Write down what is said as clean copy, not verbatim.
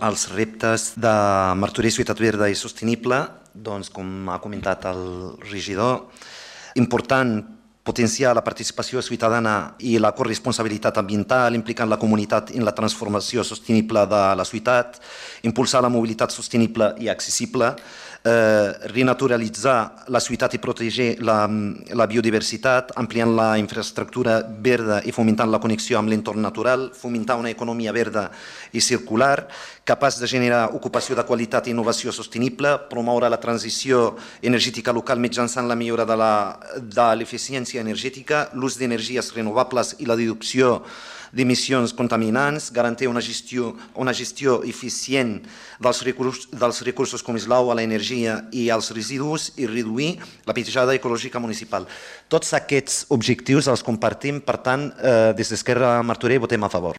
als reptes de Martorell Ciutat Verda i Sostenible, doncs, com ha comentat el regidor, important potenciar la participació ciutadana i la corresponsabilitat ambiental, implicant la comunitat en la transformació sostenible de la ciutat, impulsar la mobilitat sostenible i accessible, renaturalitzar la ciutat i protegir la biodiversitat, ampliant la infraestructura verda i fomentant la connexió amb l'entorn natural, fomentar una economia verda i circular, capaç de generar ocupació de qualitat i innovació sostenible, promoure la transició energètica local mitjançant la millora de l'eficiència energètica, l'ús d'energies renovables i la reducció d'emissions contaminants, garantir una gestió eficient dels recursos com és l'aigua, l'energia i els residus i reduir la petjada ecològica municipal. Tots aquests objectius els compartim, per tant, des d'Esquerra Martorell votem a favor.